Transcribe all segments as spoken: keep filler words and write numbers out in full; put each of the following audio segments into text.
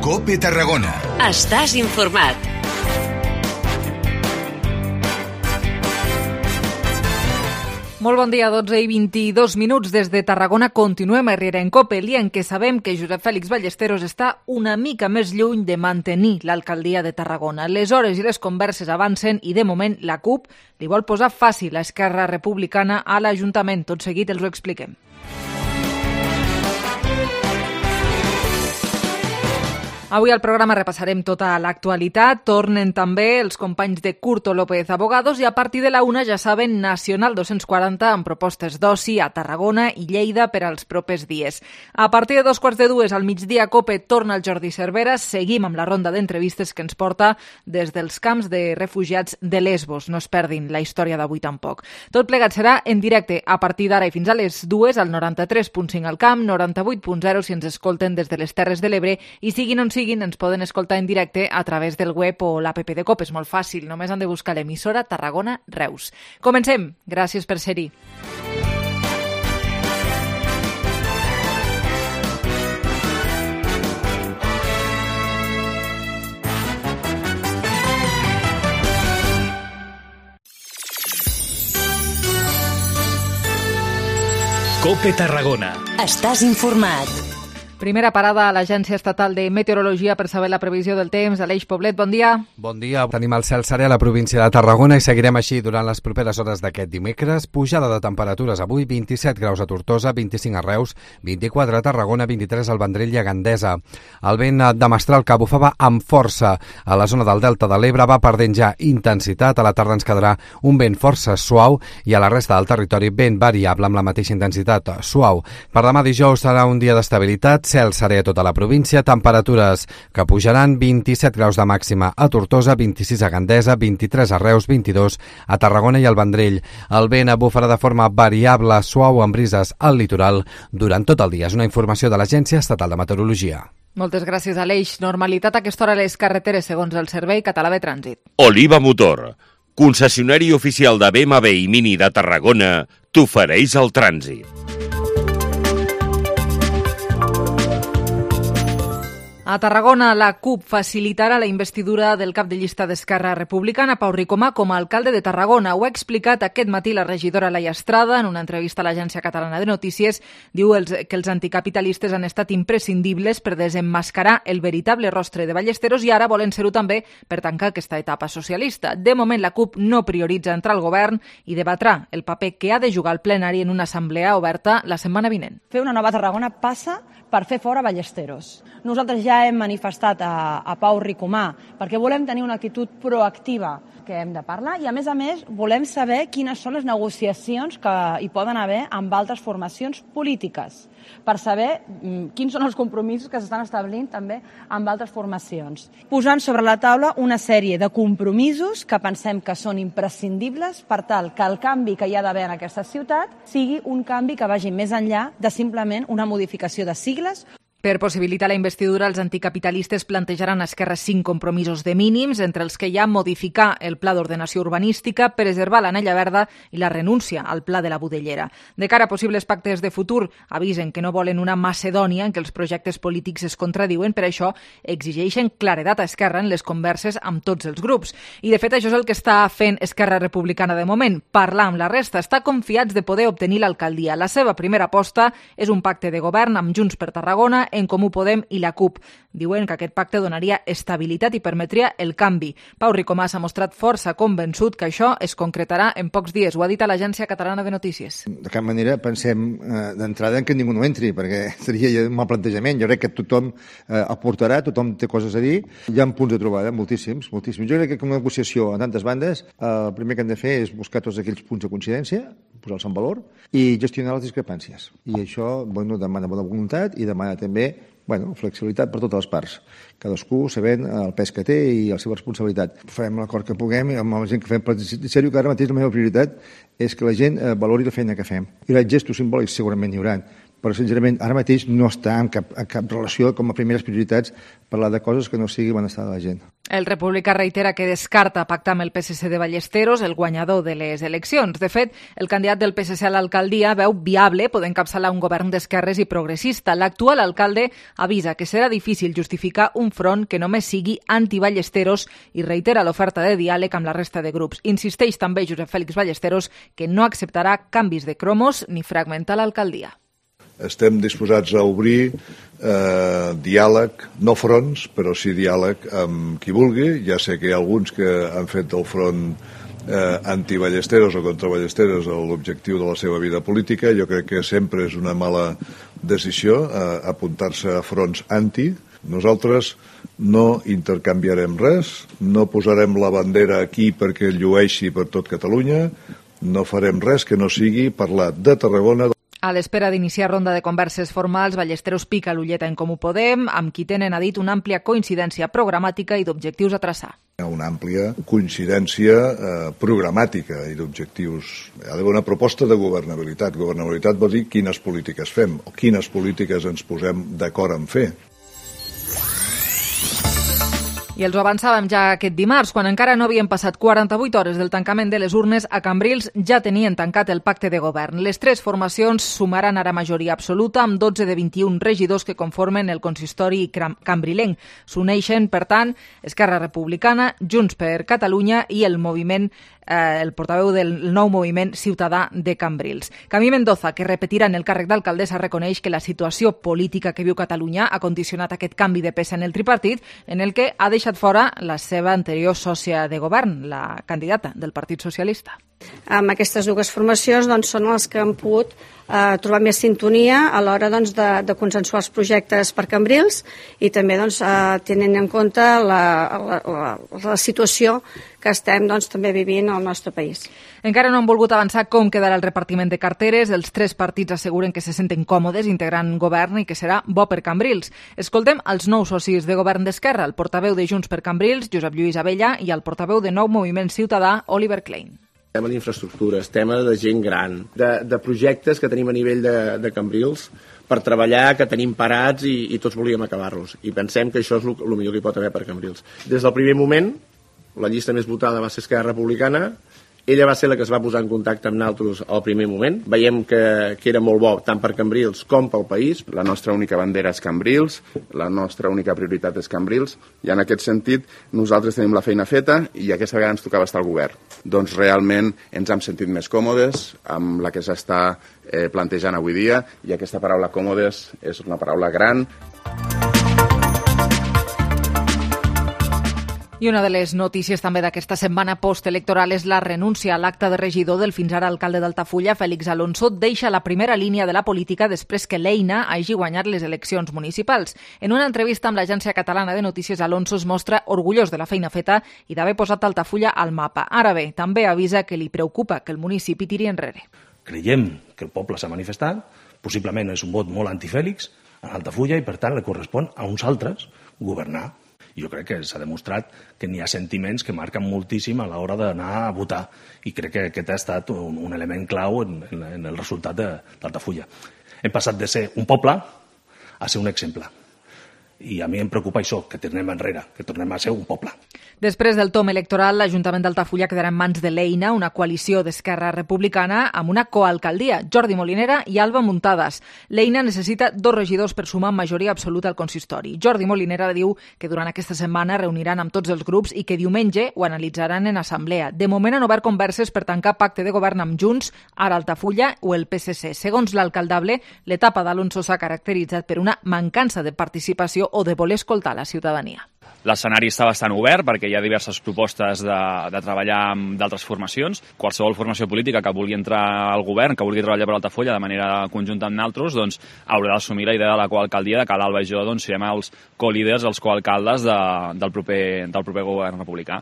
COPE Tarragona. Estàs informat. Molt bon dia, dotze i vint-i-dos minuts des de Tarragona. Continuem a Herrera en COPE, el dia en què sabem que Josep Fèlix Ballesteros està una mica més lluny de mantenir l'alcaldia de Tarragona. Les hores i les converses avancen i, de moment, la CUP li vol posar fàcil a Esquerra Republicana a l'Ajuntament. Tot seguit els ho expliquem. Avui al programa repassarem tota l'actualitat. Tornen també els companys de Curto López Abogados i a partir de la una, ja saben, Nacional dos-cents quaranta amb propostes d'oci a Tarragona i Lleida per als propers dies. A partir de dos quarts de dues al migdia, COPE torna el Jordi Cervera. Seguim amb la ronda d'entrevistes que ens porta des dels camps de refugiats de Lesbos. No es perdin la història d'avui tampoc. Tot plegat serà en directe a partir d'ara i fins a les dues al noranta-tres punt cinc al camp, noranta-vuit punt zero si ens escolten des de les Terres de l'Ebre i siguin on siguin, ens poden escoltar en directe a través del web o l'app de COPE. És molt fàcil, només han de buscar l'emissora Tarragona Reus. Comencem. Gràcies per ser-hi. COPE Tarragona. Estàs informat. Primera parada a l'Agència Estatal de Meteorologia per saber la previsió del temps. Aleix Poblet, bon dia. Bon dia. Tenim el cel serè a la província de Tarragona i seguirem així durant les properes hores d'aquest dimecres. Pujada de temperatures avui, vint-i-set graus a Tortosa, vint-i-cinc a Reus, vint-i-quatre a Tarragona, vint-i-tres al Vendrell i a Gandesa. El vent de mestral que bufava amb força a la zona del Delta de l'Ebre va perdent ja intensitat. A la tarda ens quedarà un vent força suau i a la resta del territori vent variable amb la mateixa intensitat suau. Per demà dijous serà un dia d'estabilitat, cel serè a tota la província, temperatures que pujaran, vint-i-set graus de màxima a Tortosa, vint-i-sis a Gandesa, vint-i-tres a Reus, vint-i-dos a Tarragona i al Vendrell. El vent bufarà de forma variable, suau, amb brises al litoral durant tot el dia. És una informació de l'Agència Estatal de Meteorologia. Moltes gràcies, Aleix. Normalitat a aquesta hora a les carreteres, segons el Servei Català de Trànsit. Oliva Motor, concessionari oficial de B M W i Mini de Tarragona, t'ofereix el trànsit. A Tarragona, la CUP facilitarà la investidura del cap de llista d'Esquerra Republicana, Pau Ricomà, com a alcalde de Tarragona. Ho ha explicat aquest matí la regidora Laia Estrada en una entrevista a l'Agència Catalana de Notícies. Diu els, que els anticapitalistes han estat imprescindibles per desemmascarar el veritable rostre de Ballesteros i ara volen ser-ho també per tancar aquesta etapa socialista. De moment, la CUP no prioritza entrar al govern i debatrà el paper que ha de jugar el plenari en una assemblea oberta la setmana vinent. Fer una nova Tarragona passa per fer fora Ballesteros. Nosaltres ja hem manifestat a, a Pau Ricomà perquè volem tenir una actitud proactiva que hem de parlar i, a més a més, volem saber quines són les negociacions que hi poden haver amb altres formacions polítiques per saber mm, quins són els compromisos que s'estan establint també amb altres formacions. Posant sobre la taula una sèrie de compromisos que pensem que són imprescindibles per tal que el canvi que hi ha d'haver en aquesta ciutat sigui un canvi que vagi més enllà de simplement una modificació de sigles. Per possibilitar la investidura, els anticapitalistes plantejaran a Esquerra cinc compromisos de mínims, entre els que hi ha modificar el pla d'ordenació urbanística, preservar l'anella verda i la renúncia al pla de la Budellera. De cara a possibles pactes de futur, avisen que no volen una Macedònia en què els projectes polítics es contradiuen, per això exigeixen claredat a Esquerra en les converses amb tots els grups. I, de fet, això és el que està fent Esquerra Republicana de moment, parlar amb la resta. Està confiats de poder obtenir l'alcaldia. La seva primera aposta és un pacte de govern amb Junts per Tarragona, en Comú Podem i la CUP. Diuen que aquest pacte donaria estabilitat i permetria el canvi. Pau Ricomà s'ha mostrat força convençut que això es concretarà en pocs dies. Ho ha dit a l'Agència Catalana de Notícies. De cap manera pensem eh, d'entrada en que ningú no entri, perquè seria un mal plantejament. Jo crec que tothom eh, aportarà, tothom té coses a dir. Hi ha punts de trobada, moltíssims, moltíssims. Jo crec que una negociació a tantes bandes, eh, el primer que hem de fer és buscar tots aquells punts de coincidència, posar-los en valor i gestionar les discrepàncies. I això, bueno, demana bona voluntat i demana també bueno, flexibilitat per totes les parts, cadascú sabent el pes que té i la seva responsabilitat. Farem l'acord que puguem amb la gent que fem, però en sèrio que ara mateix la meva prioritat és que la gent valori la feina que fem. I els gestos simbòlics segurament hi haurà, però sincerament ara mateix no està en cap, en cap relació com a primeres prioritats parlar de coses que no sigui benestar de la gent. El republicà reitera que descarta pactar amb el P S C de Ballesteros, el guanyador de les eleccions. De fet, el candidat del P S C a l'alcaldia veu viable poder encapçalar un govern d'esquerres i progressista. L'actual alcalde avisa que serà difícil justificar un front que només sigui anti-Ballesteros i reitera l'oferta de diàleg amb la resta de grups. Insisteix també Josep Fèlix Ballesteros que no acceptarà canvis de cromos ni fragmentar l'alcaldia. Estem disposats a obrir eh, diàleg, no fronts, però sí diàleg amb qui vulgui. Ja sé que hi ha alguns que han fet del front eh, anti-Ballesteros o contra Ballesteros l'objectiu de la seva vida política. Jo crec que sempre és una mala decisió eh, apuntar-se a fronts anti. Nosaltres no intercanviarem res, no posarem la bandera aquí perquè llueixi per tot Catalunya, no farem res que no sigui parlar de Tarragona. A l'espera d'iniciar ronda de converses formals, Ballesteros pica l'ulleta en Comú Podem, amb qui tenen, ha dit, una àmplia coincidència programàtica i d'objectius a traçar. Una àmplia coincidència eh, programàtica i d'objectius. Hi ha d'haver una proposta de governabilitat. Governabilitat vol dir quines polítiques fem o quines polítiques ens posem d'acord en fer. I els ho avançàvem ja aquest dimarts, quan encara no havien passat quaranta-vuit hores del tancament de les urnes, a Cambrils ja tenien tancat el pacte de govern. Les tres formacions sumaran ara majoria absoluta amb dotze de vint-i-un regidors que conformen el consistori cambrilenc. S'uneixen, per tant, Esquerra Republicana, Junts per Catalunya i el moviment eh, el portaveu del nou moviment ciutadà de Cambrils. Camí Mendoza, que repetirà en el càrrec d'alcaldessa, reconeix que la situació política que viu Catalunya ha condicionat aquest canvi de peça en el tripartit, en el que ha deixat fora la seva anterior sòcia de govern, la candidata del Partit Socialista. Amb aquestes dues formacions doncs, són els que han pogut eh, trobar més sintonia a l'hora doncs, de, de consensuar els projectes per Cambrils i també doncs, eh, tenint en compte la, la, la, la situació que estem doncs, també vivint al nostre país. Encara no han volgut avançar com quedarà el repartiment de carteres. Els tres partits asseguren que se senten còmodes integrant govern i que serà bo per Cambrils. Escoltem els nous socis de govern d'Esquerra, el portaveu de Junts per Cambrils, Josep Lluís Abella, i el portaveu de Nou Moviment Ciutadà, Oliver Klein. Tema d'infraestructures, tema de gent gran, de, de projectes que tenim a nivell de, de Cambrils per treballar, que tenim parats i, i tots volíem acabar-los. I pensem que això és el millor que hi pot haver per Cambrils. Des del primer moment, la llista més votada va ser Esquerra Republicana. Ella va ser la que es va posar en contacte amb nosaltres al primer moment. Veiem que, que era molt bo tant per Cambrils com pel país. La nostra única bandera és Cambrils, la nostra única prioritat és Cambrils, i en aquest sentit nosaltres tenim la feina feta i aquesta vegada ens tocava estar al govern. Doncs realment ens hem sentit més còmodes amb la que s'està eh, plantejant avui dia, i aquesta paraula còmodes és una paraula gran. I una de les notícies també d'aquesta setmana postelectoral és la renúncia a l'acte de regidor del fins ara alcalde d'Altafulla, Fèlix Alonso. Deixa la primera línia de la política després que l'Eina hagi guanyat les eleccions municipals. En una entrevista amb l'Agència Catalana de Notícies, Alonso es mostra orgullós de la feina feta i d'haver posat Altafulla al mapa. Ara bé, també avisa que li preocupa que el municipi tiri enrere. Creiem que el poble s'ha manifestat, possiblement és un vot molt antifèlix a Altafulla i per tant li correspon a uns altres governar. Jo crec que s'ha demostrat que n'hi ha sentiments que marquen moltíssim a l'hora d'anar a votar i crec que aquest ha estat un, un element clau en, en, en el resultat d'Altafulla. Hem passat de ser un poble a ser un exemple. I a mi em preocupa això, que tornem enrere, que tornem a ser un poble. Després del tom electoral, l'Ajuntament d'Altafulla quedarà en mans de l'Eina, una coalició d'Esquerra Republicana amb una coalcaldia, Jordi Molinera i Alba Muntades. L'Eina necessita dos regidors per sumar majoria absoluta al consistori. Jordi Molinera diu que durant aquesta setmana reuniran amb tots els grups i que diumenge ho analitzaran en assemblea. De moment han obert converses per tancar pacte de govern amb Junts, ara Altafulla o el P S C. Segons l'alcaldable, l'etapa d'Alonso s'ha caracteritzat per una mancança de participació o de voler escoltar la ciutadania. L'escenari està bastant obert perquè hi ha diverses propostes de, de treballar amb d'altres formacions. Qualsevol formació política que vulgui entrar al govern, que vulgui treballar per Altafulla de manera conjunta amb nosaltres, doncs, haurà d'assumir la idea de la coalcaldia, de que l'Alba i jo doncs, serem els co-líders, els coalcaldes de, del, proper, del proper govern republicà.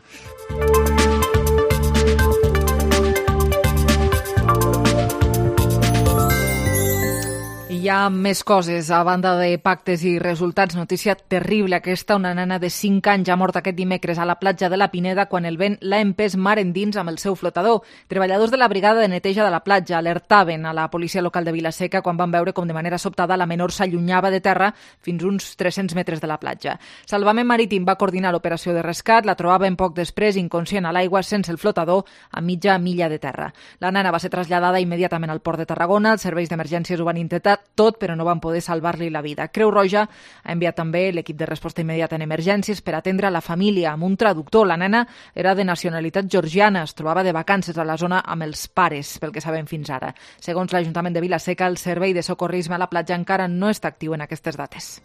I hi ha més coses, a banda de pactes i resultats. Notícia terrible aquesta, una nena de cinc anys ha mort aquest dimecres a la platja de la Pineda quan el vent l'ha empès mar endins amb el seu flotador. Treballadors de la brigada de neteja de la platja alertaven a la policia local de Vilaseca quan van veure com de manera sobtada la menor s'allunyava de terra fins uns tres-cents metres de la platja. Salvament Marítim va coordinar l'operació de rescat, la trobaven poc després inconscient a l'aigua sense el flotador a mitja milla de terra. La nena va ser traslladada immediatament al port de Tarragona, els serveis d'emergències ho van intentar tot, però no van poder salvar-li la vida. Creu Roja ha enviat també l'equip de resposta immediata en emergències per atendre la família amb un traductor. La nena era de nacionalitat georgiana, es trobava de vacances a la zona amb els pares, pel que sabem fins ara. Segons l'Ajuntament de Vilaseca, el servei de socorrisme a la platja encara no està actiu en aquestes dates.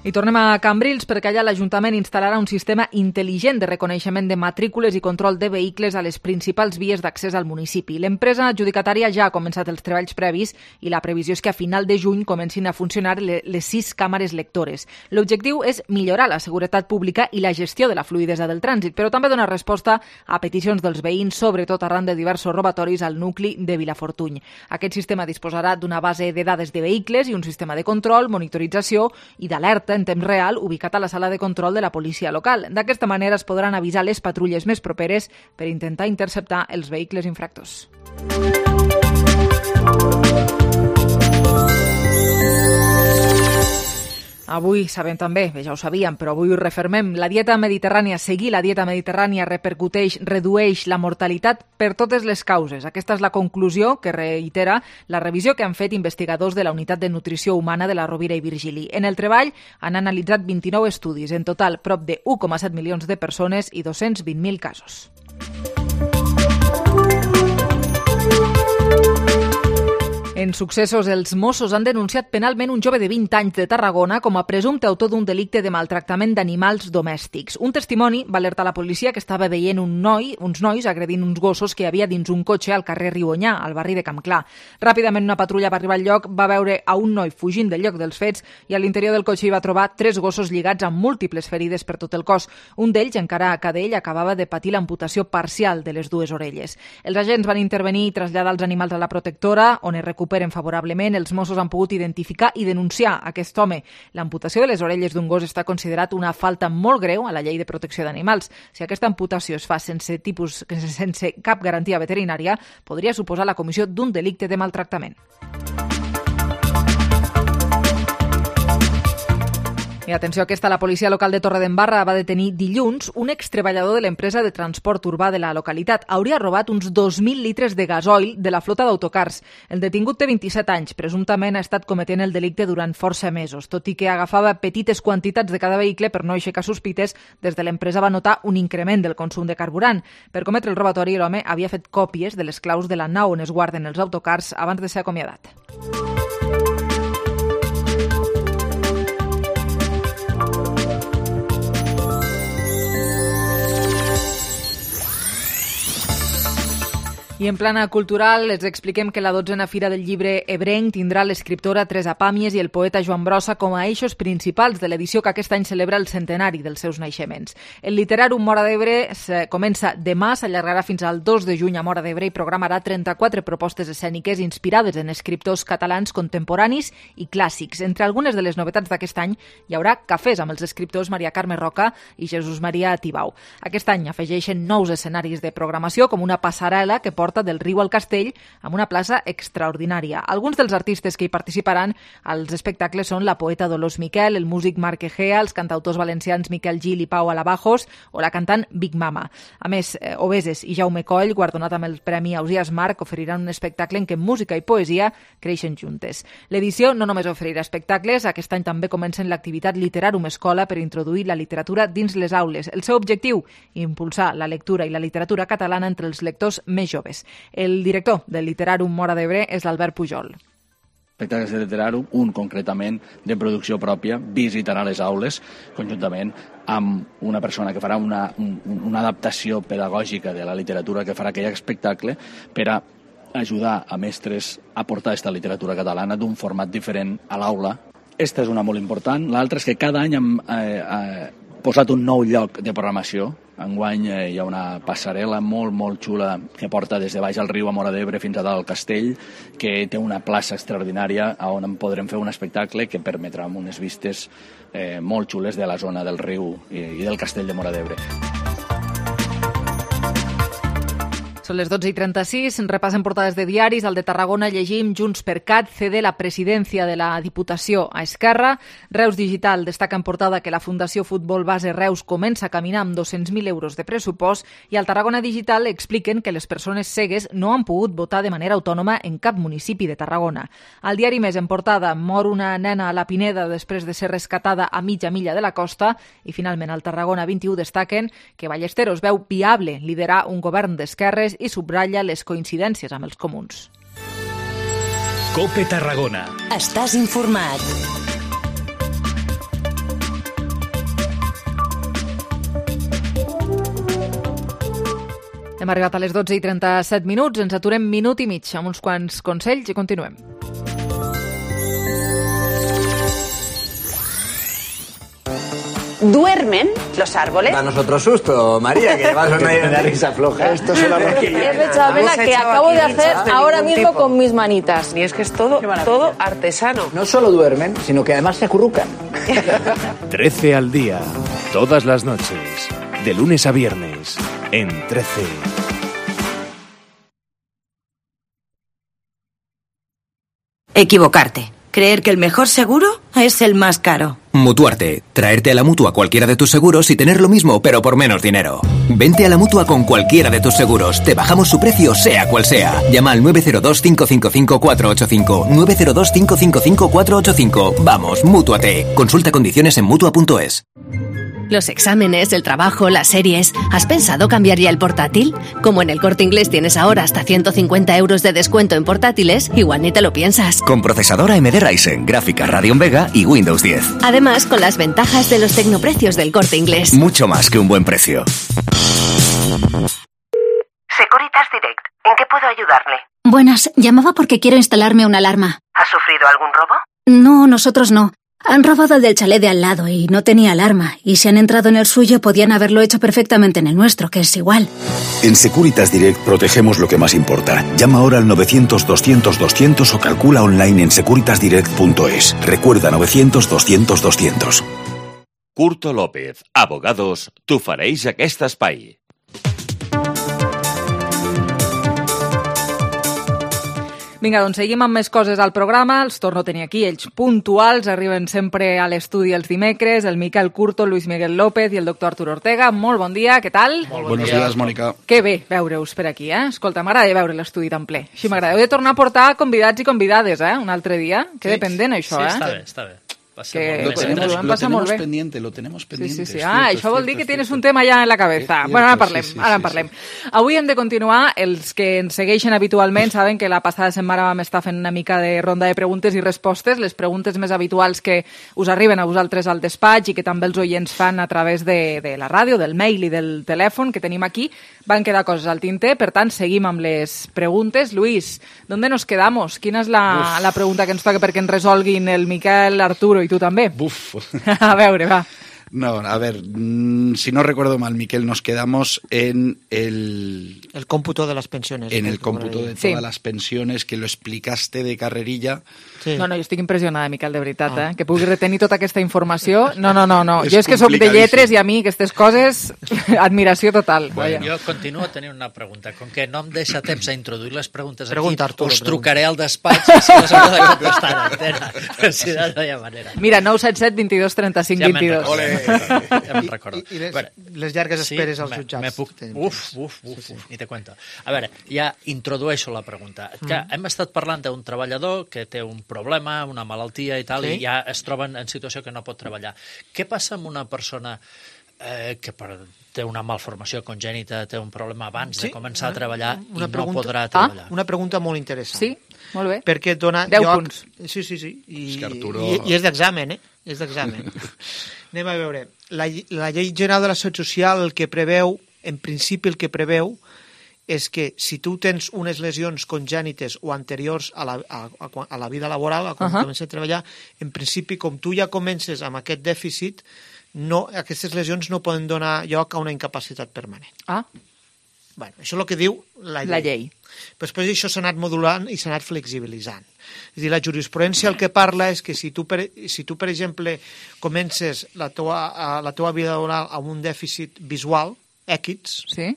I tornem a Cambrils perquè allà l'Ajuntament instal·larà un sistema intel·ligent de reconeixement de matrícules i control de vehicles a les principals vies d'accés al municipi. L'empresa adjudicatària ja ha començat els treballs previs i la previsió és que a final de juny comencin a funcionar les sis càmeres lectores. L'objectiu és millorar la seguretat pública i la gestió de la fluïdesa del trànsit, però també donar resposta a peticions dels veïns, sobretot arran de diversos robatoris al nucli de Vilafortuny. Aquest sistema disposarà d'una base de dades de vehicles i un sistema de control, monitorització i d'alerta en temps real ubicat a la sala de control de la policia local. D'aquesta manera es podran avisar les patrulles més properes per intentar interceptar els vehicles infractors. Avui sabem també, bé, ja ho sabíem, però avui ho refermem, la dieta mediterrània, seguir la dieta mediterrània repercuteix, redueix la mortalitat per totes les causes. Aquesta és la conclusió que reitera la revisió que han fet investigadors de la Unitat de Nutrició Humana de la Rovira i Virgili. En el treball han analitzat vint-i-nou estudis, en total prop de u coma set milions de persones i dos-cents vint mil casos. En successos, els Mossos han denunciat penalment un jove de vint anys de Tarragona com a presumpte autor d'un delicte de maltractament d'animals domèstics. Un testimoni va alertar la policia que estava veient un noi, uns nois agredint uns gossos que hi havia dins un cotxe al carrer Riuonyà, al barri de Campclar. Ràpidament una patrulla va arribar al lloc, va veure a un noi fugint del lloc dels fets i a l'interior del cotxe hi va trobar tres gossos lligats amb múltiples ferides per tot el cos. Un d'ells, encara cadell, acabava de patir l'amputació parcial de les dues orelles. Els agents van intervenir i traslladar els animals a la protectora, on es recuperen favorablement. Els Mossos han pogut identificar i denunciar aquest home. L'amputació de les orelles d'un gos està considerat una falta molt greu a la llei de protecció d'animals. Si aquesta amputació es fa sense tipus, sense cap garantia veterinària, podria suposar la comissió d'un delicte de maltractament. I atenció, aquesta, la policia local de Torredembarra va detenir dilluns un extreballador de l'empresa de transport urbà de la localitat. Hauria robat uns dos mil litres de gasoil de la flota d'autocars. El detingut té vint-i-set anys. Presumptament ha estat cometent el delicte durant força mesos. Tot i que agafava petites quantitats de cada vehicle per no aixecar sospites, des de l'empresa va notar un increment del consum de carburant. Per cometre el robatori, l'home havia fet còpies de les claus de la nau on es guarden els autocars abans de ser acomiadat. I en plana cultural els expliquem que la dotzena Fira del Llibre Ebrenc tindrà l'escriptora Teresa Pàmies i el poeta Joan Brossa com a eixos principals de l'edició que aquest any celebra el centenari dels seus naixements. El Literàrum Móra d'Ebre comença demà, s'allargarà fins al dos de juny a Móra d'Ebre i programarà trenta-quatre propostes escèniques inspirades en escriptors catalans contemporanis i clàssics. Entre algunes de les novetats d'aquest any hi haurà cafès amb els escriptors Maria Carme Roca i Jesús Maria Tibau. Aquest any afegeixen nous escenaris de programació com una passarel·la que porta del riu al castell amb una plaça extraordinària. Alguns dels artistes que hi participaran als espectacles són la poeta Dolors Miquel, el músic Marc Egea, els cantautors valencians Miquel Gil i Pau Alabajos o la cantant Big Mama. A més, eh, Obeses i Jaume Coll, guardonat amb el Premi Ausiàs Marc, oferiran un espectacle en què música i poesia creixen juntes. L'edició no només oferirà espectacles, aquest any també comencen l'activitat Literàrum Escola per introduir la literatura dins les aules. El seu objectiu, impulsar la lectura i la literatura catalana entre els lectors més joves. El director del Literàrum Móra d'Ebre és l'Albert Pujol. Espectacles de Literàrum, un concretament de producció pròpia, visitarà les aules conjuntament amb una persona que farà una, un, una adaptació pedagògica de la literatura que farà aquell espectacle per a ajudar a mestres a portar aquesta literatura catalana d'un format diferent a l'aula. Esta és una molt important. L'altra és que cada any hem, eh, eh, posat un nou lloc de programació. Enguany eh, hi ha una passarel·la molt, molt xula que porta des de baix al riu a Móra d'Ebre fins a dalt al castell, que té una plaça extraordinària on en podrem fer un espectacle que permetrà unes vistes eh, molt xules de la zona del riu i, i del castell de Móra d'Ebre. Són les dotze i trenta-sis, repassen portades de diaris. Al de Tarragona llegim Junts per Cat cede la presidència de la Diputació a Esquerra. Reus Digital destaca en portada que la Fundació Futbol Base Reus comença a caminar amb dos-cents mil euros de pressupost i al Tarragona Digital expliquen que les persones cegues no han pogut votar de manera autònoma en cap municipi de Tarragona. Al diari Més en portada mor una nena a la Pineda després de ser rescatada a mitja milla de la costa i finalment al Tarragona vint-i-u destaquen que Ballesteros veu viable liderar un govern d'esquerres i subratlla les coincidències amb els comuns. COPE Tarragona. Estàs informat. Hem arribat a les dotze i trenta-set minuts, ens aturem minut i mig amb uns quants consells i continuem. ¿Duermen los árboles? Danos otro susto, María, que vas a una de risa floja. Esto es una rosquilla. He pensado, venga, que acabo de hacer ahora mismo con mis manitas. Y es que es todo, todo artesano. No solo duermen, sino que además se acurrucan. trece al día, todas las noches, de lunes a viernes, en trece. Equivocarte. Creer que el mejor seguro es el más caro. Mutuarte. Traerte a la Mutua cualquiera de tus seguros y tener lo mismo, pero por menos dinero. Vente a la Mutua con cualquiera de tus seguros. Te bajamos su precio, sea cual sea. Llama al nueve cero dos, cinco cinco cinco, cuatro ocho cinco. nueve cero dos, cinco cinco cinco, cuatro ocho cinco. Vamos, Mútuate. Consulta condiciones en mutua punto es. Los exámenes, el trabajo, las series... ¿Has pensado cambiar ya el portátil? Como en el Corte Inglés tienes ahora hasta ciento cincuenta euros de descuento en portátiles, igual ni te lo piensas. Con procesador A M D Ryzen, gráfica Radeon Vega y Windows diez. Además, con las ventajas de los tecnoprecios del Corte Inglés. Mucho más que un buen precio. Securitas Direct. ¿En qué puedo ayudarle? Buenas, llamaba porque quiero instalarme una alarma. ¿Ha sufrido algún robo? No, nosotros no. Han robado el del chalet de al lado y no tenía alarma. Y si han entrado en el suyo, podían haberlo hecho perfectamente en el nuestro, que es igual. En Securitas Direct protegemos lo que más importa. Llama ahora al novecientos, doscientos, doscientos o calcula online en securitas direct punto es. Recuerda novecientos, doscientos, doscientos. Curto López, abogados, t'ofereix aquest espai. Vinga, doncs seguim amb més coses al programa. Els torno a tenir aquí, ells puntuals, arriben sempre a l'estudi els dimecres, el Miquel Curto, Luis Miguel López i el doctor Arturo Ortega. Molt bon dia, què tal? Molt bon Buenos dia. Días, Mònica. Que bé veure-us per aquí, eh? Escolta, m'agrada veure l'estudi tan ple. Així m'agrada. Heu de tornar a portar convidats i convidades, eh? Un altre dia. Que sí. Dependent, això, sí, eh? està bé, està bé. Que lo tenemos, lo lo tenemos pendiente, lo tenemos pendiente. Sí, sí, sí. Ah, això vol dir que tienes un tema ja en la cabeza. Cierto, bueno, ara parlem, sí, sí, ara en parlem. Sí, sí. Avui hem de continuar. Els que ens segueixen habitualment saben que la passada setmana vam estar fent una mica de ronda de preguntes i respostes, les preguntes més habituals que us arriben a vosaltres al despatx i que també els oients fan a través de, de la ràdio, del mail i del telèfon que tenim aquí. Van quedar coses al tinter, per tant, seguim amb les preguntes. Luis, ¿dónde nos quedamos? Quina és la, la pregunta que ens toca perquè ens resolguin el Miquel, Arturo i tu també? Buf. A veure, va. No, a ver, si no recuerdo mal, Miquel, nos quedamos en el... El cómputo de las pensiones. En el cómputo de todas sí. las pensiones, que lo explicaste de carrerilla. Sí. No, no, jo estic impressionada, Miquel, de veritat, ah. eh? Que pugui retenir tota aquesta informació. No, no, no, no. És jo és que soc de lletres i a mi aquestes coses, admiració total. Bueno, jo continuo tenint una pregunta. Com que no em deixa temps a introduir les preguntes pregunta, aquí, Arturo, us trucaré al despatx i si les heu de contestar en antena. Si no, no hi ha manera. Mira, nou set set, vint-i-dos, trenta-cinc, vint-i-dos. Ja me'n recordo. I, i les, bueno, les llargues esperes sí, als jutjats. Me puc... Uf, uf, uf, sí, sí. Ni te cuento. A veure, ja introdueixo la pregunta. Que mm. hem estat parlant d'un treballador que té un problema, una malaltia i tal, sí? I ja es troben en situació que no pot treballar. Què passa amb una persona eh, que per, té una malformació congènita, té un problema abans sí? de començar a treballar una i pregunta... no podrà treballar? Ah, una pregunta molt interessant. Sí, molt bé. Perquè dona deu lloc... punts. Sí, sí, sí. I, és Arturo... i, i és d'examen, eh? És d'examen. Anem a veure. La, la llei general de la Seguretat Social el que preveu, en principi el que preveu, és que si tu tens unes lesions congènites o anteriors a la, a, a la vida laboral, a quan uh -huh. comences a treballar, en principi, com tu ja comences amb aquest dèficit, no, aquestes lesions no poden donar lloc a una incapacitat permanent. Ah. Bueno, això és el que diu la llei. La llei. Però després això s'ha anat modulant i s'ha anat flexibilitzant. És a dir, la jurisprudència el que parla és que si tu, per, si tu per exemple, comences la teua, la teua vida laboral amb un dèficit visual, X, sí.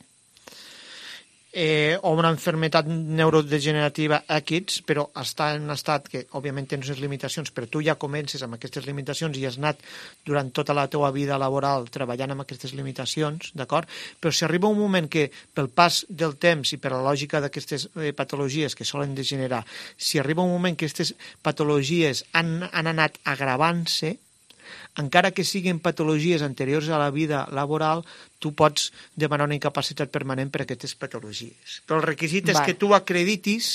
eh, o una enfermedad neurodegenerativa X, però està en un estat que, òbviament, tens unes limitacions, però tu ja comences amb aquestes limitacions i has anat durant tota la teua vida laboral treballant amb aquestes limitacions, d'acord? Però si arriba un moment que, pel pas del temps i per la lògica d'aquestes eh, patologies que solen degenerar, si arriba un moment que aquestes patologies han, han anat agravant-se, encara que siguin patologies anteriors a la vida laboral, tu pots demanar una incapacitat permanent per a aquestes patologies. Però el requisit és que tu acreditis,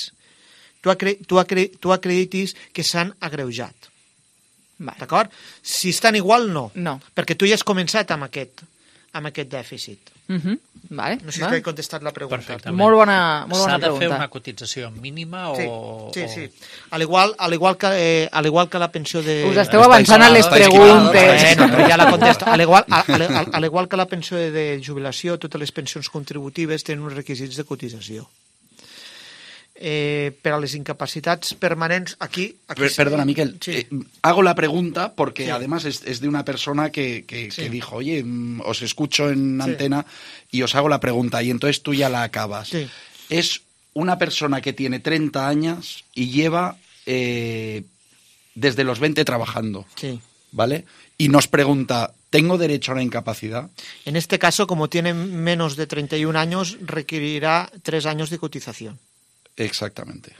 tu, acre, tu, acre, tu acreditis que s'han agreujat. D'acord? Si estan igual, no. No. Perquè tu ja has començat amb aquest, amb aquest dèficit. Uh-huh. Vale, no sé vale. si he contestat la pregunta. Perfectament. Molt bona, molt bona S'ha de pregunta. fer una cotització mínima o... Sí, sí, sí. Al igual, al igual, que, eh, al igual que la pensió de... Us esteu avançant a les preguntes. Bueno, però ja la contesto. Al igual, al, al, al igual que la pensió de, de jubilació, totes les pensions contributives tenen uns requisits de cotització. Eh, per a les incapacitats permanents, aquí... aquí Per, perdona, Miquel, sí. eh, hago la pregunta porque sí. además es, es de una persona que, que, sí. que dijo, oye, os escucho en sí. antena y os hago la pregunta y entonces tú ya la acabas. Sí. Es una persona que tiene treinta años y lleva eh, desde los veinte trabajando, sí. ¿vale? Y nos pregunta, ¿tengo derecho a una incapacidad? En este caso, como tiene menos de treinta y un años, requerirá tres años de cotización. Exactamente.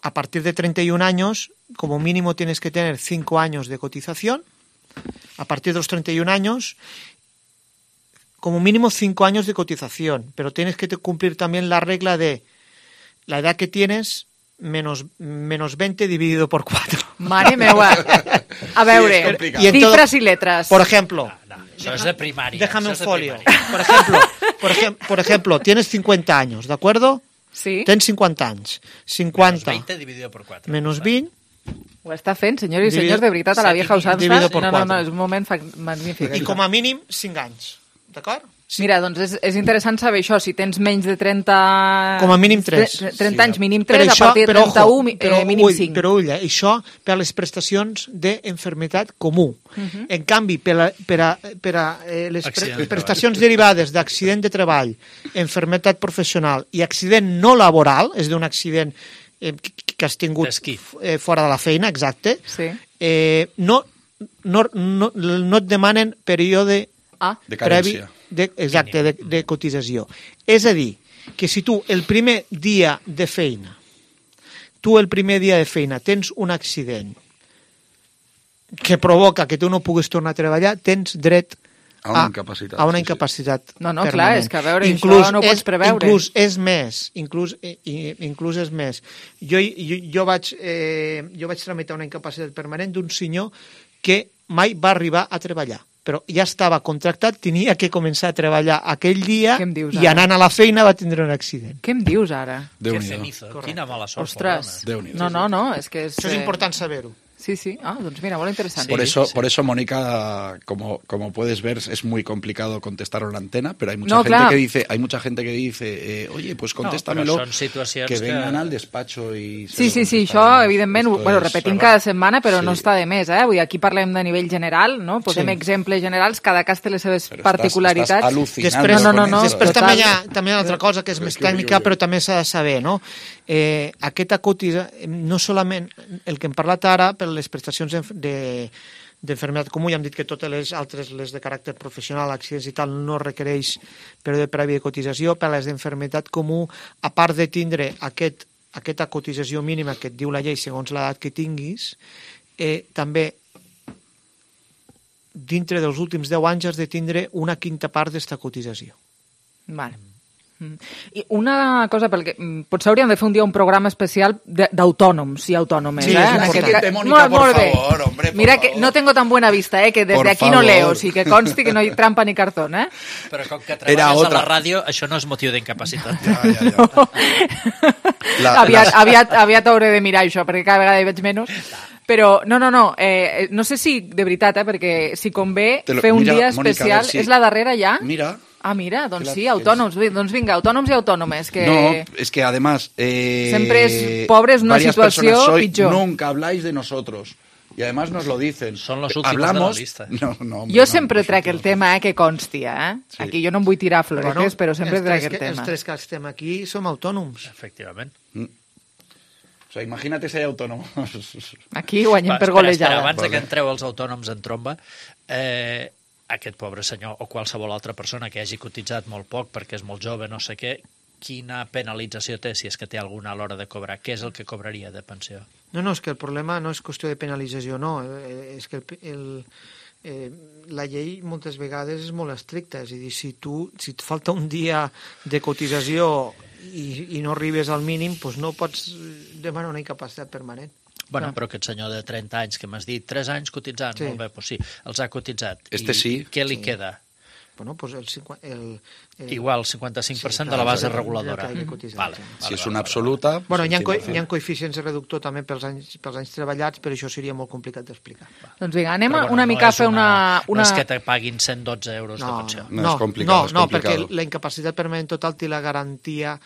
A partir de treinta y un años, como mínimo tienes que tener cinco años de cotización. A partir de los treinta y un años, como mínimo cinco años de cotización. Pero tienes que cumplir también la regla de la edad que tienes menos, menos veinte dividido por cuatro. Mare meua. A veure, Sí, y cifras y letras. Por ejemplo... No, no, això és de primària. Déjame un això és de folio. primària. Por ejemplo, por, ejem por ejemplo, tienes cincuenta años, ¿de acuerdo? Sí. Tens cincuenta anys. cincuenta Menos veinte dividido por cuatro. menos vint. Ho està fent, senyors i Dividido- senyors, de veritat, a la vieja usança. dividido por No, no, no, cuatro. és un moment fa- magnífic. I com a mínim cinc anys. D'acord? Mira, doncs és, és interessant saber això, si tens menys de trenta... Com a mínim tres. tre- trenta anys, mínim Però tres, a això- partir de però, trenta-u, ojo, mi- però, eh, mínim ull, cinc. Però ull, eh, això per a les prestacions d'enfermetat comú. Mhm. En canvi, per a, per a, per a eh, les Accident pre de prestacions derivades d'accident de treball, enfermetat professional i accident no laboral, és d'un accident eh, que que has tingut eh, fora de la feina, exacte, Sí. eh, no, no, no, no et demanen període ah. De previ carència. de, exacte, de, de cotització. És a dir, que si tu el primer dia de feina, tu el primer dia de feina tens un accident que provoca que tu no puguis tornar a treballar, tens dret A una incapacitat, a una sí, sí. incapacitat No, no, clar, permanent. és que a veure, inclús això no ho pots és, preveure. Inclús és més, inclús, i, i- inclús és més. Jo, jo, jo, vaig, eh, jo vaig tramitar una incapacitat permanent d'un senyor que mai va arribar a treballar, però ja estava contractat, tenia que començar a treballar aquell dia Què em dius i ara? anant a la feina va tindre un accident. Què em dius ara? Que Déu-n'hi-do. cenizo. Quina mala sort. Ostres. Déu-n'hi-do. No, no, no, és que és... Això és eh, important saber-ho. Sí, sí. Ah, doncs mira, molt interessant. Por eso, por eso, Mónica, como, como puedes ver, es muy complicado contestar en la antena, pero hay mucha No, gente clar. que dice, hay mucha gente que dice, eh, oye, pues contéstamelo, però són situacions que que- vengan al despacho y... se Sí, lo sí, sí, contestaremos. això evidentment ho Esto bueno, es- repetim però cada setmana, però sí. no està de més, eh? Vull dir, aquí parlem de nivell general, no? Posem Sí. exemples generals, cada cas té les seves Però estàs- particularitats. estàs al·lucinant Després, no, no, no, després total. també hi ha, també hi ha una altra cosa que és més que tècnica, jo, jo. però també s'ha de saber, no? Eh, aquesta cotitza, no solament el que hem parlat ara per les prestacions d'enf- de d'enfermetat comú, ja hem dit que totes les altres, les de caràcter professional, accidents i tal, no requereix període previ de cotització. Per a les d'enfermetat comú, a part de tindre aquest, aquesta cotització mínima que et diu la llei segons l'edat que tinguis, eh, també dintre dels últims deu anys has de tindre una quinta part d'esta cotització. Vale. I una cosa, perquè potser hauríem de fer un dia un programa especial d'autònoms i autònomes. Sí, eh? es importante, Mónica, por favor, hombre, por Mira favor. que no tengo tan buena vista, eh, que desde Por aquí favor. no leo, sí que consti que no hi trampa ni cartón, eh? Però com que treballes a la ràdio, això no és motiu d'incapacitat. Ja, ja, ja. No. La, aviat, la... aviat, aviat hauré de mirar això, perquè cada vegada hi veig menys. Però, no, no, no, eh, no sé si, de veritat, eh, perquè si convé Lo, fer un mira, dia Mónica, especial, si... és la darrera ja? Mira. Ah, mira, doncs la, sí, autònoms, és... doncs vinga, autònoms i autònomes, que... No, es que además... Eh, Sempre és pobres una situació soy, pitjor. Nunca habláis de nosotros. Y además nos lo dicen. Son los últimos Hablamos... de la lista. No, no, hombre, jo no, sempre trec el tema, eh, que consti, eh? Sí. Aquí jo no em vull tirar floretes, bueno, però sempre trec el que, tema. Els tres que estem aquí som autònoms. Efectivament. Mm. O sea, imagínate ser autònom. Aquí guanyem Va, per espera, golejada. espera, abans vale. que entreu els autònoms en tromba, eh, aquest pobre senyor o qualsevol altra persona que hagi cotitzat molt poc perquè és molt jove, no sé què, quina penalització té, si és que té alguna a l'hora de cobrar? Què és el que cobraria de pensió? No, no, és que el problema no és qüestió de penalització, no. Eh, És que el, el, eh, la llei moltes vegades és molt estricta. És a dir, si, tu, si et falta un dia de cotització i, i no arribes al mínim, doncs no pots demanar una incapacitat permanent. Bueno, però aquest senyor de trenta anys que m'has dit, tres anys cotitzant, Sí. molt bé, doncs sí, els ha cotitzat. Este I sí. què li Sí. queda? Bueno, pues el, cinqu- el, el... Igual, cinquanta-cinc per cent Sí, de la clar, base és el- reguladora. és el que he cotitzat, Vale, sí. vale, Si és vale, una vale. absoluta... Bueno, hi ha, cent co per cent. hi ha coeficients de reductor també pels anys, pels anys treballats, però això seria molt complicat d'explicar. Doncs vinga, anem Però, a bueno, una no mica a és fer una... una... No és que te paguin cent dotze euros de No, pensió. No, no, és complicat, no, és no, complicado. perquè la incapacitat permanent total té la garantia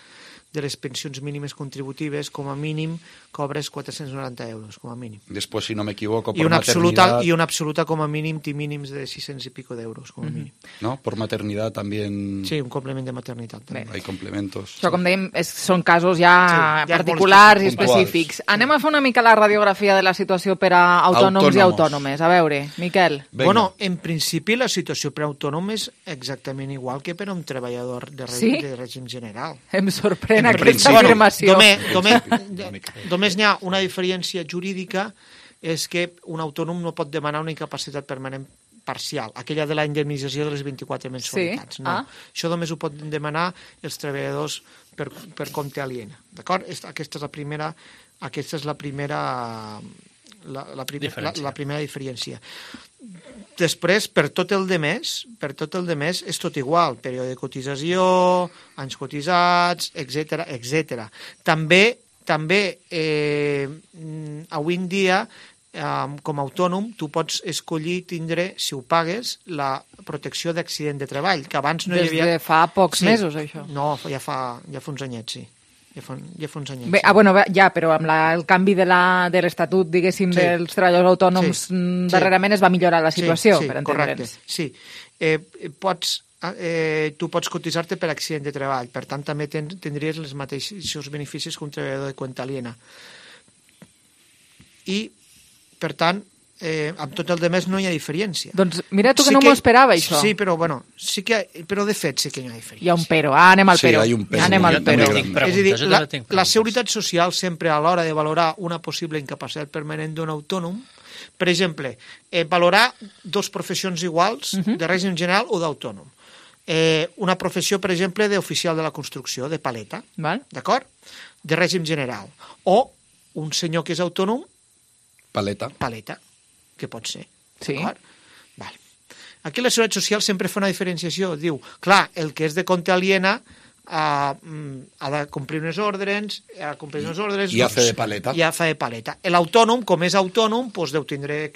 de les pensions mínimes contributives, com a mínim cobres quatre-cents noranta euros, com a mínim. Después, si no me equivoco, I por una, absoluta, maternidad... I una absoluta com a mínim té mínims de sis-cents i pico d'euros, com a mínim. ¿No? Por maternidad también Sí, un complement de maternitat. També. hay complementos. Això, com dèiem, és, són casos ja Sí, ja molt particulars i específics. específics. Anem a fer una mica la radiografia de la situació per a autònoms Autònomos. i autònomes. A veure, Miquel. Venga. Bueno, en principi la situació per a autònom és exactament igual que per a un treballador de, re Sí? de règim general. Em sorprèn En aquesta principi, afirmació. Només, només, només n'hi ha una diferència jurídica, és que un autònom no pot demanar una incapacitat permanent parcial, aquella de la indemnització de les vint-i-quatre mensualitats. Sí? No. Ah. Això només ho poden demanar els treballadors per, per compte aliena. D'acord? Aquesta és la primera, aquesta és la primera, la, la, primer, la, Diferència. la primera diferència. Després, per tot el de més, per tot el de més és tot igual, període de cotització, anys cotitzats, etcètera, etcètera. També, també eh, avui en dia, eh, com a autònom, tu pots escollir tindre, si ho pagues, la protecció d'accident de treball, que abans no Des hi havia... de fa pocs mesos, això. No, ja fa, ja fa uns anyets, sí. Ja fa, ja fa uns anyets. Bé, sí. ah, bueno, bé, ja, però amb la, el canvi de la- de l'Estatut, diguéssim, Sí. dels treballadors autònoms, Sí. mm, Sí. darrerament es va millorar la situació, sí, sí, per correcte, entendre'ns. sí. Eh, pots, eh, tu pots cotitzar-te per accident de treball, per tant també ten, tindries els mateixos beneficis que un treballador de cuenta aliena. I, per tant, eh, amb tot el de més no hi ha diferència. Doncs mira tu que no m'ho esperava, això. Sí, però, bueno, sí que, però de fet sí que hi ha diferència. Hi ha un pero. Ah, anem al Sí, pero. hay un pero. Anem al Jo pero. també tinc És a preguntes, dir, jo la, també tinc la preguntes. Seguretat Social sempre a l'hora de valorar una possible incapacitat permanent d'un autònom, per exemple, eh, valorar dos professions iguals, Mhm. de règim general o d'autònom. Eh, una professió, per exemple, d'oficial de la construcció, de paleta, Val? d'acord? De règim general. O un senyor que és autònom, Paleta. paleta, que pot ser. Sí. D'acord? Val. Aquí la Seguretat Social sempre fa una diferenciació. Diu, clar, el que és de compte aliena ha, ha de complir unes ordres, ha de complir unes ordres... I hace de paleta. I fa de paleta. L'autònom, com és autònom, doncs deu tindre...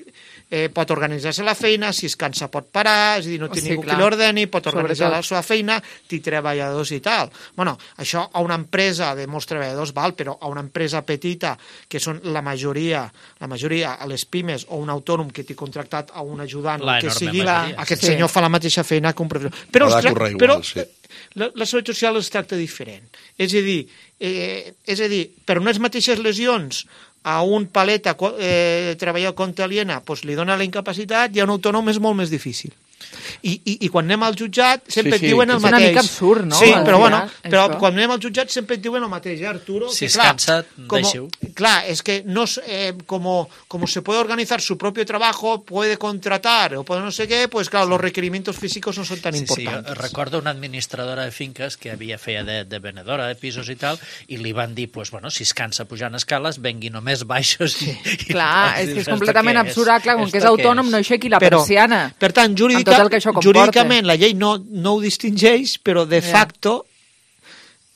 Eh, pot organitzar-se la feina, si es cansa pot parar, és a dir, no té Sí, ningú clar. que l'ordeni, pot Sobretot. organitzar la seva feina, té treballadors i tal. Bueno, això a una empresa de molts treballadors val, però a una empresa petita, que són la majoria, la majoria a les pimes, o un autònom que té contractat a un ajudant, La que enorme sigui, majoria. aquest Sí. senyor fa la mateixa feina que un professor. Però, Ha de els tra- currar igual, però sí. la, la Seguretat Social es tracta diferent. És a dir, eh, és a dir, per unes mateixes lesions a un paleta eh, treballador contra aliena doncs li dona la incapacitat i a un autònom és molt més difícil. I, i, i quan anem al jutjat sempre Sí, sí, et diuen el és una mateix. mica absurd, no? Sí, Al però, bueno, final, però això. quan anem al jutjat sempre et diuen el mateix, eh, Arturo? Si que, es clar, cansa, como, deixeu. Clar, es que no, eh, como, como se puede organizar su propio trabajo, puede contratar o puede no sé qué, pues claro, los requerimientos físicos no son tan Sí, importantes. sí, recordo una administradora de finques que havia feia de, de venedora de pisos i tal, i li van dir, pues, bueno, si es cansa pujant escales, vengui només baixos. I, i Clar, és que és ¿esto completament qué absurd, clar, com que és ¿Esto qué autònom, no aixequi la Però, persiana. Per tant, amb jurídica, tot el que això comporta. jurídicament la llei no, no ho distingeix, però de Ja. facto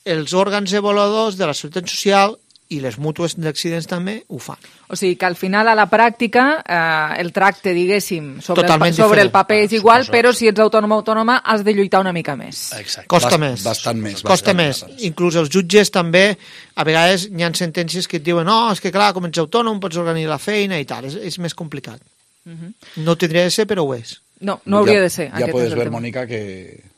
els òrgans avaluadors de la Seguretat Social i les mútues d'accidents també ho fan. O sigui que al final, a la pràctica, eh, el tracte, diguéssim, sobre, el, Totalment sobre el diferent. paper és igual, però si ets autònom o autònoma has de lluitar una mica més. Costa Bast- més. bastant més, Costa bastant més. Inclús els jutges també, a vegades hi ha sentències que et diuen no, és que clar, com ets autònom pots organitzar la feina i tal, és, és més complicat. Mhm. No tindria de ser, però ho és. No, no hauria ya, de ser. Ya aquest puedes és el ver, tema. Mónica, que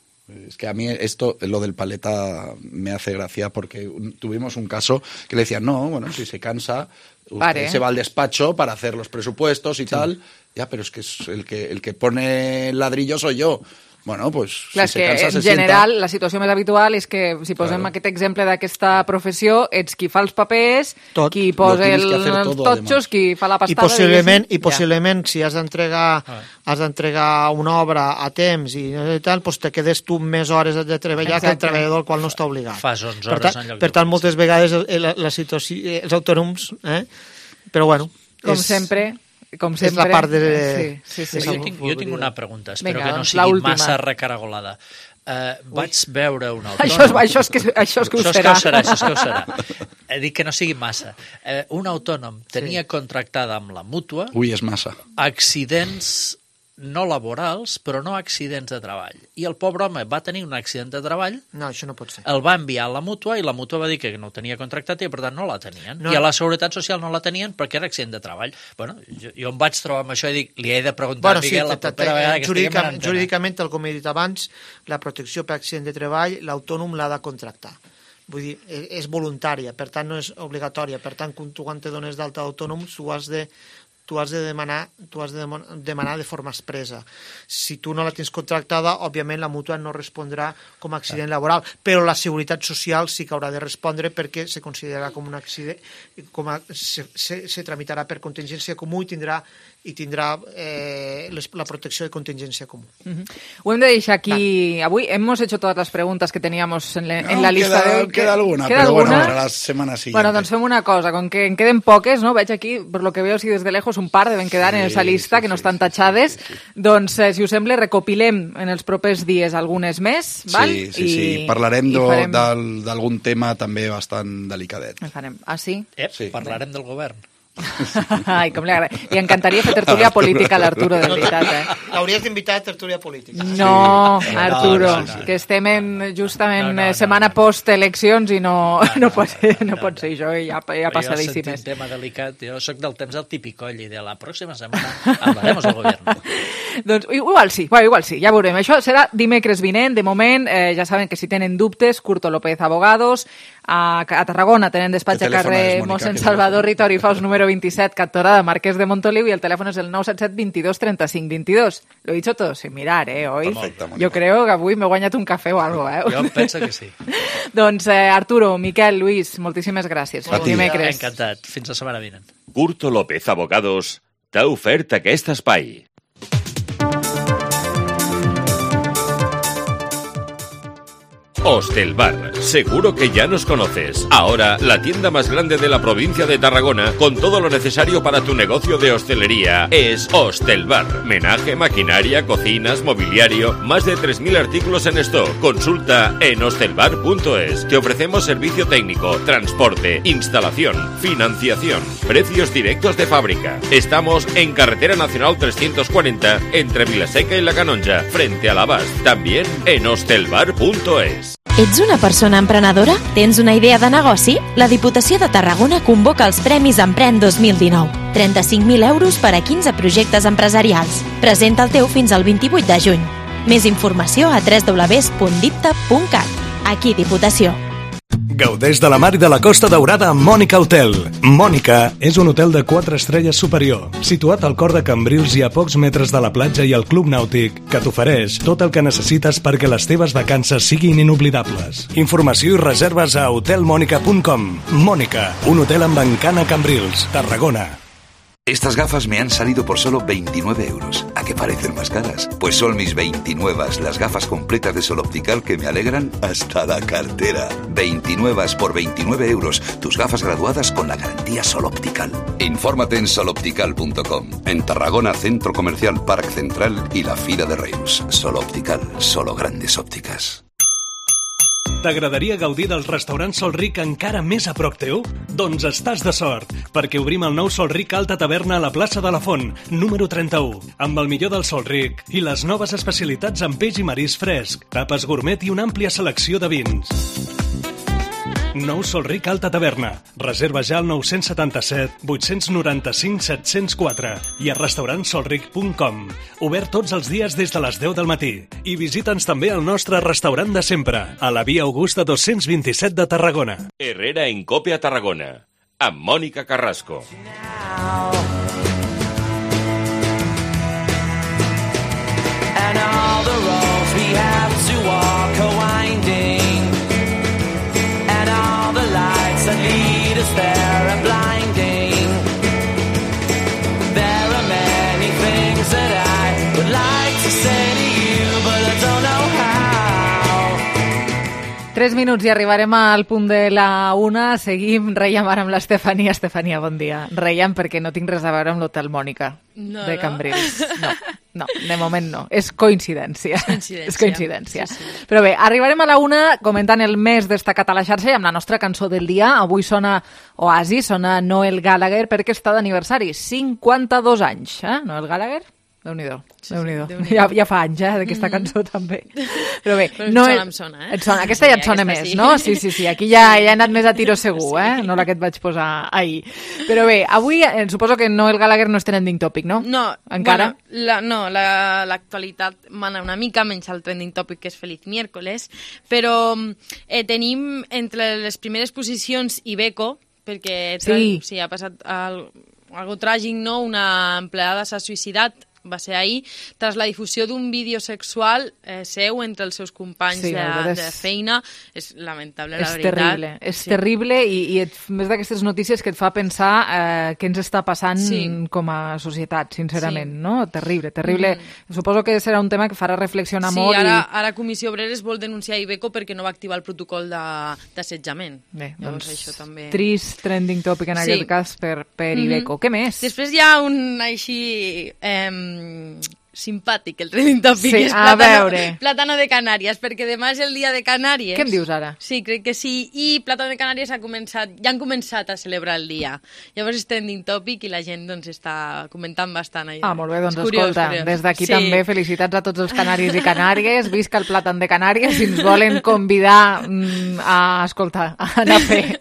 es que a mí esto, lo del paleta, me hace gracia porque un- tuvimos un caso que le decían, no, bueno, si se cansa, usted Pare. se va al despacho para hacer los presupuestos y tal. Ya, pero es que es el que el que pone el ladrillo soy yo. Bueno, pues Clar, si és se cansa, que se en sienta. general la situació més habitual és que, si posem Claro. aquest exemple d'aquesta professió, ets qui fa els papers, Tot. qui Lo posa tienes el, que hacer els todo, totxos, además. qui fa la I pastada. possiblement, i diguéssim, possiblement si has d'entregar has d'entregar una obra a temps i, i tal, doncs te quedes tu més hores de treballar que el Exacte. treballador al qual no està obligat. Fas onze per hores tant, en lloc per de tant moltes vegades el- la, la situació, eh, els autònoms, eh? però bueno, Com és, sempre, com és sempre. la part de... Sí, sí, sí. Jo tinc, jo tinc una pregunta, espero Vinga, que no doncs, sigui l'última. massa recaragolada. Uh, vaig veure un autònom... Això és- això és que- això és que ho això serà. És que ho serà. Això és que ho serà. He dit que no sigui massa. Uh, un autònom tenia contractada amb la mútua Uy, es masa. accidents no laborals, però no accidents de treball. I el pobre home va tenir un accident de treball, No, això no pot ser. el va enviar a la mútua i la mútua va dir que no ho tenia contractat i per tant no la tenien. No. I a la Seguretat Social no la tenien perquè era accident de treball. Bueno, jo, jo em vaig trobar amb això i dic, li he de preguntar Bueno, a sí, Miguel la te- te- propera vegada que estiguem en jurídicament, antena. jurídicament, tal com he dit abans, la protecció per accident de treball, l'autònom l'ha de contractar. Vull dir, e- és voluntària, per tant no és obligatòria. Per tant, quan tu quan te dones d'alta d'autònom, tu has de tu has de demanar, tu has de demo- demanar de forma expressa. Si tu no la tens contractada, òbviament la mútua no respondrà com a accident laboral, però la Seguretat Social sí que haurà de respondre perquè se considerarà com un accident, com a, se, se, se tramitarà per contingència comú i tindrà i tindrà eh, les, la protecció de contingència comú. Ujú. Ho hem de deixar aquí avui. Hemos hecho todas las preguntas que teníamos en, la- en la No, lista queda, de hoy. queda alguna, ¿Queda pero alguna? bueno, para la semana siguiente. Bueno, doncs fem una cosa, con que en queden poques, no? Veig aquí, per lo que veo, si des de lejos un par deben quedar en esa lista, que no estan tachades. Doncs, eh, si us sembla, recopilem en els propers dies algunes més, val? Sí, sí, I, sí. Parlarem i do- farem- del- d'algun tema també bastant delicadet. en farem. Ah, sí? Eh, sí. Parlarem del govern. Ai, com li agrada. Li encantaria fer tertúlia política a l'Arturo, de veritat, eh? L'hauries d'invitar a tertúlia política. No, Sí. Arturo, No, no, no, no. que estem en, justament No, no, eh, no, setmana post-eleccions i no, no, pot, ser, no pot ser això, ja, ja Però jo passadíssimes. sento un tema delicat. Jo sóc del temps del tipicoll i de la pròxima setmana hablaremos del govern. Doncs igual sí, bueno, igual sí, ja veurem. Això serà dimecres vinent. De moment, eh, ja saben que si tenen dubtes, Curto López Abogados. A, a Tarragona tenen despatx ¿Qué a teléfono carrer es, Mónica? Mossèn ¿Qué Salvador Ritori Faus número veintisiete, Cantorada Marquès de Montoliu, y el teléfono es el nou set set veintidós trenta cinc veintidós. Lo he dicho todo sin mirar, eh, hoy. Perfecte, Mónica. Yo creo que avui m'he guanyat un cafè o algo, eh? Jo penso que sí. Doncs eh, Arturo, Miquel, Luis, moltíssimes gràcies. A ti. Dimecres. Encantat. Fins la setmana vinent. Curto López Abogados t'ha ofert aquest espai. Hostelbar, seguro que ya nos conoces. Ahora, la tienda más grande de la provincia de Tarragona, con todo lo necesario para tu negocio de hostelería, es Hostelbar. Menaje, maquinaria, cocinas, mobiliario, más de tres mil artículos en stock. Consulta en hostelbar punto es. Te ofrecemos servicio técnico, transporte, instalación, financiación, precios directos de fábrica. Estamos en Carretera Nacional trescientos cuarenta, entre Vilaseca y La Canonja, frente a l'Abast. También en hostelbar punto es. Ets una persona emprenedora? Tens una idea de negoci? La Diputació de Tarragona convoca els Premis Emprèn dos mil dinou. trenta-cinc mil euros per a quinze projectes empresarials. Presenta el teu fins al vint-i-vuit de juny. Més informació a w w w punt dipta punt cat. Aquí Diputació. Gaudeix de la mar i de la Costa Daurada amb Mònica Hotel. Mònica és un hotel de quatre estrelles superior, situat al cor de Cambrils i a pocs metres de la platja i el club nàutic, que t'ofereix tot el que necessites perquè les teves vacances siguin inoblidables. Informació i reserves a hotel monica punt com. Mònica, un hotel amb encant a Cambrils, Tarragona. Estas gafas me han salido por solo veintinueve euros. ¿A qué parecen más caras? Pues son mis veintinuevas, las gafas completas de Sol Optical que me alegran hasta la cartera. veintinuevas por veintinueve euros. Tus gafas graduadas con la garantía Sol Optical. Infórmate en sol optical punto com. En Tarragona, Centro Comercial Parc Central y la Fira de Reus. Sol Optical, solo grandes ópticas. T'agradaria gaudir del restaurant Sol Ric encara més a prop teu? Doncs estàs de sort, perquè obrim el nou Sol Ric Alta Taverna a la plaça de la Font, número trenta-u, amb el millor del Sol Ric i les noves especialitats en peix i marisc fresc, tapes gourmet i una àmplia selecció de vins. Nou Sol Ric Alta Taverna. Reserva ja al nou setanta-set vuit noranta-cinc set zero quatre i a restaurant sol ric punt com. Obert tots els dies des de les deu del matí. I visita'ns també al nostre restaurant de sempre, a la Via Augusta dos-cents vint-i-set de Tarragona. Herrera en Cope a Tarragona, amb Mònica Carrasco. And all the roads we have to walk are winding, and all the lights that lead us there are blinding. There are many things that I would like to say to you, but I don't know how. Tres minuts i arribarem al punt de la una. Seguim, reiem ara amb l'Estefania. Estefania, bon dia. Reiem perquè no tinc res a veure amb l'Hotel Mònica no, de no? Cambrils. No, no, de moment no. És coincidència. És coincidència. És coincidència. Sí, sí. Però bé, arribarem a la una comentant el més destacat a la xarxa i amb la nostra cançó del dia. Avui sona Oasis, sona Noel Gallagher perquè està d'aniversari. cinquanta-dos anys, eh? Noel Gallagher? Déu-n'hi-do, Sí, Déu-n'hi-do. sí, Déu-n'hi-do. Ja, ja fa anys, eh, d'aquesta cançó també. Però bé, Però em no sona, és- em sona, eh? et sona. Aquesta ja et Sí, sona aquesta més, sí. no? Sí, sí, sí. Aquí ja, ja he anat més a tiro segur, eh? No la que et vaig posar ahir. Però bé, avui eh, suposo que Noel Gallagher no és trending topic, no? No, Encara? Bueno, la, no, la- l'actualitat mana una mica, menys el trending topic que és Feliz Miércoles, però eh, tenim entre les primeres posicions Iveco, perquè tra- Sí. sí, ha passat al, algo tràgic, no? Una empleada s'ha suïcidat, va ser ahir, tras la difusió d'un vídeo sexual eh, seu entre els seus companys Sí, de, la veritat és- de feina. És lamentable, la És veritat. terrible, és Sí. terrible i, i et, més d'aquestes notícies que et fa pensar eh, què ens està passant Sí. com a societat, sincerament, Sí. no? Terrible, terrible. Suposo que serà un tema que farà reflexionar Sí, molt ara, i... ara Comissió Obreres vol denunciar Iveco perquè no va activar el protocol de- d'assetjament. Bé, Llavors doncs, això també... trist trending topic en Sí. aquest cas per, per Mhm. Iveco. Què més? Després hi ha un així eh, simpàtic, el trending topic, Sí, és a plàtano, veure. plàtano de Canàries, perquè demà és el dia de Canàries. Què em dius ara? Sí, crec que sí, i Plàtano de Canàries ha començat, ja han començat a celebrar el dia. Llavors és trending topic i la gent doncs, està comentant bastant. Allà. Ah, molt bé, doncs És curiós, escolta, curiós. des d'aquí Sí. també felicitats a tots els canaris i canàries, visca el plàtan de Canàries, si ens volen convidar mm, a, escolta, a anar a fer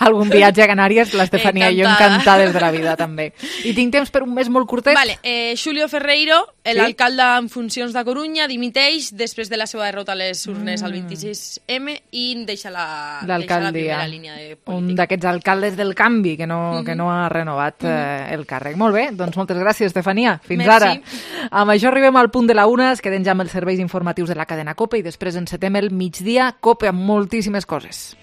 algun viatge a Canàries, l'Estefania i jo Encantada. encantades de la vida també. I tinc temps per un mes molt curtet? Vale, eh, Xulio Ferreiro, Sí? l'alcalde en funcions de Corunya, dimiteix després de la seva derrota a les urnes Mm. al vint-i-sis eme i deixa la, deixa la L'alcaldia, primera línia de un d'aquests alcaldes del canvi que no, Mhm. que no ha renovat eh, el càrrec. Molt bé, doncs moltes gràcies, Estefania. Fins Merci. ara. Amb això arribem al punt de la una, es queden ja amb els serveis informatius de la cadena COPE i després encetem el migdia COPE amb moltíssimes coses.